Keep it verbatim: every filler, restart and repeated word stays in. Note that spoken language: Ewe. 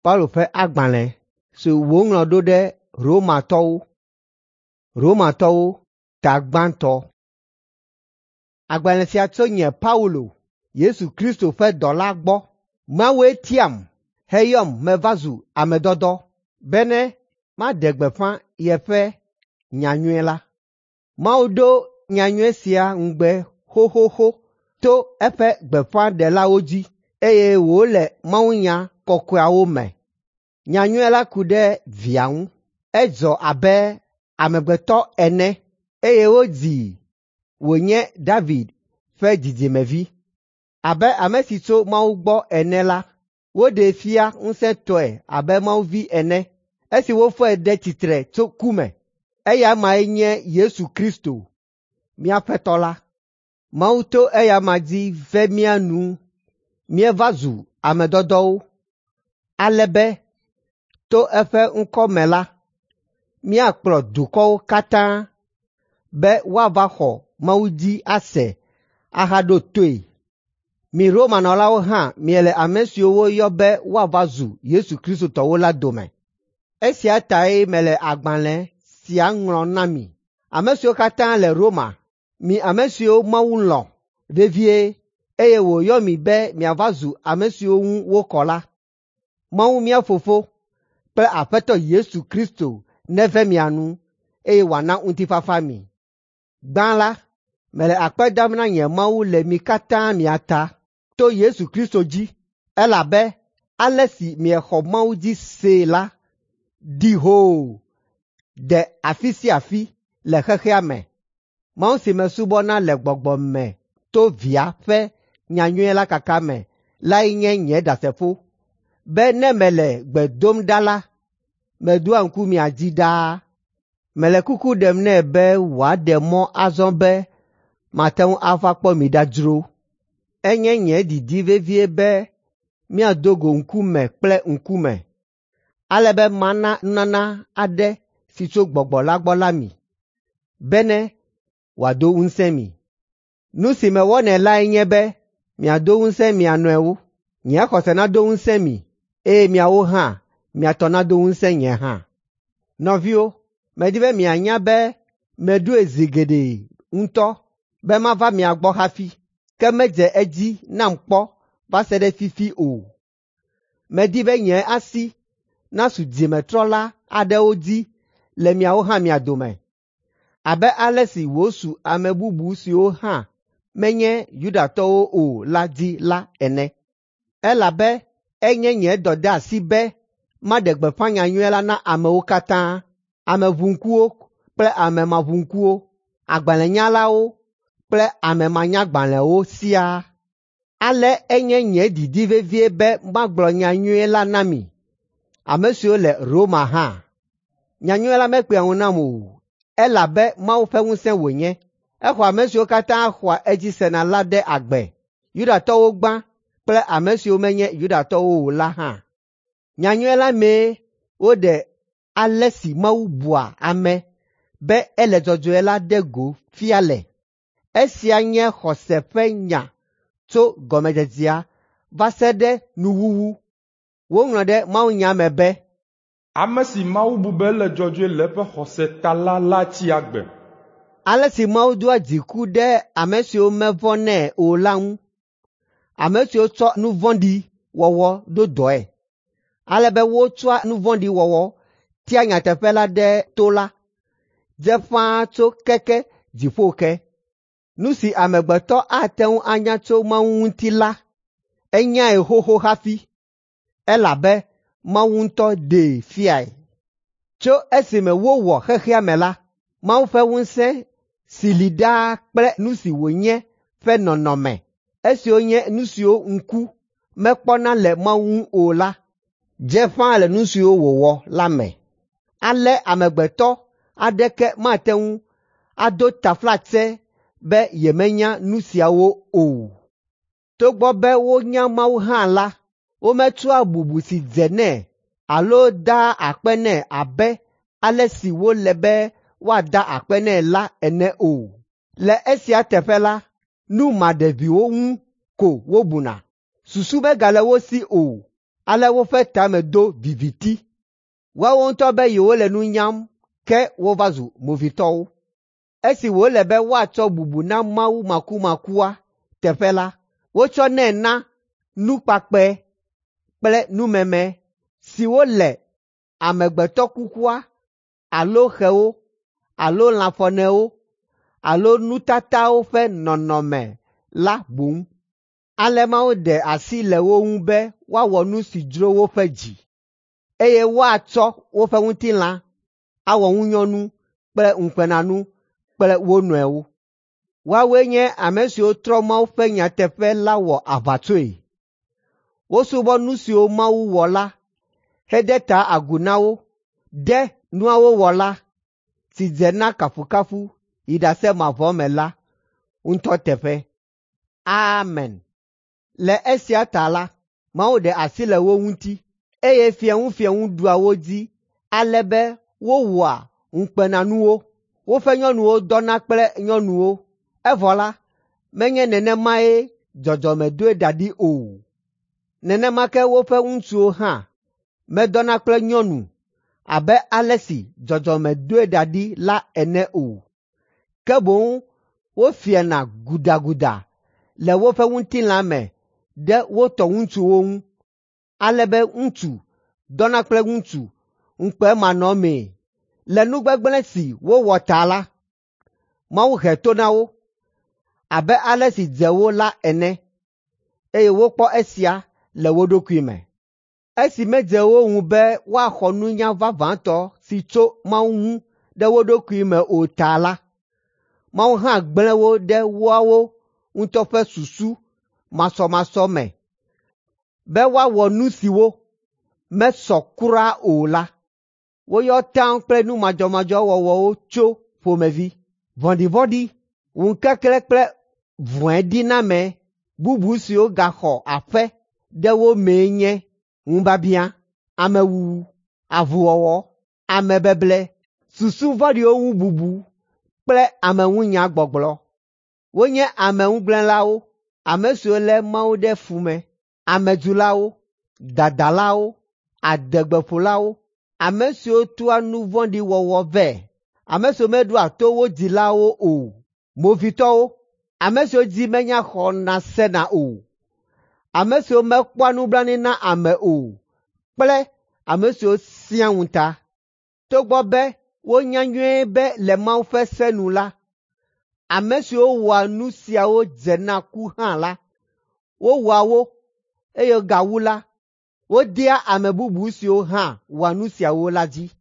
Paulo ƒe agbalẽ si wòŋlɔ ɖo ɖe Romatɔwo. Romatɔwo ta gbãtɔ. Agbalẽ sia tso nye Paulo, Yesu Kristo ƒe dɔla gbɔ. Mawue tiam heyɔm meva zu ame dɔdɔ bene maɖe gbeƒã yeƒe nyanyui la. Mawu do nyanyui sia ŋugbe xoxoxo to eƒe gbeƒãɖelawo dzi eye wòle mawunya kɔkɔeawo me. Nyanyui la ku ɖe Via ŋu. Edzɔ abe amegbetɔ ene eye wodzii wònye David ƒe dzidzimevi. Abe ame si tso Mawu gbɔ ene la, woɖee fia ŋusẽtɔe abe Mawu vi ene esi wofɔe ɖe tsitre tso ku me. Eya mae nye Yesu Kristo, mía Aƒetɔ la. Mawu to eya ma dzi ve mía nu míeva zu ame dɔdɔwo, ale be to eƒe ŋkɔ me la, míakplɔ dukɔwo katã be woava xɔ Mawu dzi ase ahaɖo toe. Mi Romanɔlawo hã miele ame siwo woyɔ be woava zu Yesu Kristo tɔwo la dome. Esia tae mele agbalẽ sia ŋlɔm na mi, ame siwo katã le Roma, mi ame siwo Mawu lɔ̃ vevie eye wòyɔ mi be miava zu ame siwo ŋu wokɔ la. Mawu mía Fofo kple Aƒetɔ Yesu Kristo neve mia nu eye wòana ŋutifafa mi. Gbã la, mele akpe dam na nye Mawu le mi katã mia ta to Yesu Kristo dzi, elabe ale si miexɔ Mawu dzi see la ɖi hoo de afi sia afi le xexea me. Mawu si mesubɔna le gbɔgbɔ me to Via ƒe nyanyui la kaka me lae nye nye ɖasefo be ne mele gbe dom ɖa la, meɖoa ŋku mia dzi ɖaa. Mele kuku ɖem nɛ be wòaɖe mɔ azɔ be mate ŋu ava kpɔ mi ɖa dzro. Enye nye didi vevie be míado go ŋkume kple ŋkume, ale be mana nunana aɖe si tso Gbɔgbɔ la gbɔ la mi, bene wòado ŋusẽ mi. Nu si mewɔnɛ lae nye be miado ŋusẽ mia nɔewo, nye xɔse nado ŋusẽ mi eye miawo hã mia tɔ nado ŋusẽ nye hã. Nɔviwo, medi be mianya be meɖoe zi geɖe ŋutɔ be mava mia gbɔ hafi, ke medze edzi nam kpɔ va se ɖe fifi o. Medi be nye asi nasu dzimetrɔla aɖewo dzi le miawo hã mia dome, abe ale si wòsu ame bubu siwo hã menye Yudatɔwo o la dzi la ene. Elabe enye nye dɔdeasi be maɖe gbeƒã nyanyui la na amewo katã, ame ʋuŋkuwo kple ame maʋuŋkuwo, agbalẽnyalawo kple ame manyagbalẽwo siaa. Ale enye nye didi vevie be magblɔ nyanyui la na mi, ame siwo le Roma hã. Nyanyui la mekpea ŋu nam o, elabe Mawu ƒe ŋusẽ wònye. Exɔ ame siwo katã xɔa edzi sena la ɖe agbe, Yudatɔwo gbã kple ame siwo menye Yudatɔwo o la hã. Nyanyui la mee woɖe ale si Mawu bua ame be ele dzɔdzɔe la ɖe go fia le. Esia nye xɔse ƒe nya tso gɔmedzedzea va se ɖe nuwuwu. Woŋlɔ ɖe mawunya me be, Ame si Mawu bu be ele dzɔdzɔe le eƒe xɔse ta la la tsi agbe. Ale si Mawu doa dziku ɖe ame siwo mevɔ̃nɛ o la ŋu, ame siwo tsɔ nu vɔ̃ɖi wɔwɔ ɖo dɔe, ale be wotsɔa nu vɔ̃ɖi wɔwɔ tia nyateƒe la ɖe to la, dze ƒãa tso keke dziƒo ke. Nu si amegbetɔ ate ŋu anya tso Mawu ŋuti la, enyae xoxo hafi, elabe Mawu ŋutɔ ɖee fiae. Tso esime wowɔ xexea me la, Mawu ƒe ŋusẽ si li ɖaa kple nu si wònye ƒe nɔnɔme, esiwo nye nu siwo ŋku mekpɔna le Mawu ŋu o la, dze ƒãa le nu siwo wòwɔ la me. Ale amegbetɔ aɖeke mate ŋu ado taflatse be yemenya nu siawo o. Togbɔ be wonya Mawu hã la, wometsɔa bubu si dze nɛ alo daa akpe nɛ abe ale si wòle be woada akpe nɛ la ene o. Le esia teƒe la, nu maɖeviwo ŋu ko wobuna. Susu megale wo si o, Ale woƒe tame do viviti. Woawo ŋutɔ be yewole nu nyam, ke wova zu movitɔwo. Esi wòle be woatsɔ bubu na Mawu makumakua teƒe la, wotsɔnɛ na nukpakpɛ kple numeme siwo le amegbetɔ kukua alo xewo alo lãfɔnewo alo nutatawo ƒe nɔnɔme la boŋ. Ale Mawu ɖe asi le wo ŋu be woawɔ nu si dzro woƒe dzi, eye woatsɔ woƒe ŋutilã awɔ ŋunyɔnu kple ŋukpenanu kple wo nɔewo. Woawoe nye ame siwo trɔ Mawu ƒe nyateƒe la wɔ aʋatsoe. Wosubɔ nu siwo Mawu wɔ la hede ta agu na wo ɖe nuawo wɔla si dze na kafukafu yi ɖase mavɔ me la ŋutɔ teƒe. Amen. Le esia ta la, Mawu ɖe asi le wo ŋuti, eye fiẽŋufiẽŋu ɖua wo dzi ale be wowɔa ŋukpenanuwo. Woƒe nyɔnuwo dɔna kple nyɔnuwo, evɔ la, menye nenemae dzɔdzɔme doe da ɖi o. Nenema ke woƒe ŋutsuwo hã medɔna kple nyɔnu abe ale si dzɔdzɔme doe da ɖi la ene o. Ke boŋ wofiana gudaguda le woƒe ŋutilã me ɖe wo tɔ ŋutsuwo ŋu, ale be ŋutsu dɔna kple ŋutsu ŋukpemanɔmee. Le nu gbegblẽ si wowɔ ta la, Mawu he to na wo abe ale si dze wo la ene, eye wokpɔ esia le wo ɖokui me. Esi medze wo ŋu be woaxɔ nunya vavãtɔ si tso Mawu ŋu ɖe wo ɖokui me o ta la, Mawu hã gblẽ wo ɖe woawo ŋutɔ ƒe susu masɔmasɔ me be woawɔ nu siwo mesɔ kura o la. Woyɔ taŋ kple nu madzɔmadzɔ wɔwɔwo tso ƒomevi, vɔ̃ɖivɔ̃ɖi, ŋukeklẽ kple vɔ̃ediname bubu siwo gaxɔ aƒe ɖe wo mee nye ŋubiabiã, amewuwu, avuwɔwɔ, amebeble, susu vɔ̃ɖiwo ŋu bubu kple ameŋunyagbɔgblɔ. Wonye ameŋugblẽlawo, ame siwo lé Mawu ɖe fu me, amedzulawo, dadalawo, adegbeƒolawo, ame siwo toa nu vɔ̃ɖi wɔwɔ vɛ, ame siwo meɖoa to wo dzilawo o, movitɔwo, ame siwo dzi menya xɔna sena o, ame siwo mekpɔa nublanui na ame o kple ame siwo sẽa ŋuta. Togbɔ be wonya nyuie be le Mawu ƒe se nu la, ame siwo wɔa nu siawo dze na ku hã la, wowɔa wo, eye gawu la, wodea ame bubu siwo hã wɔa nu siawo la dzi.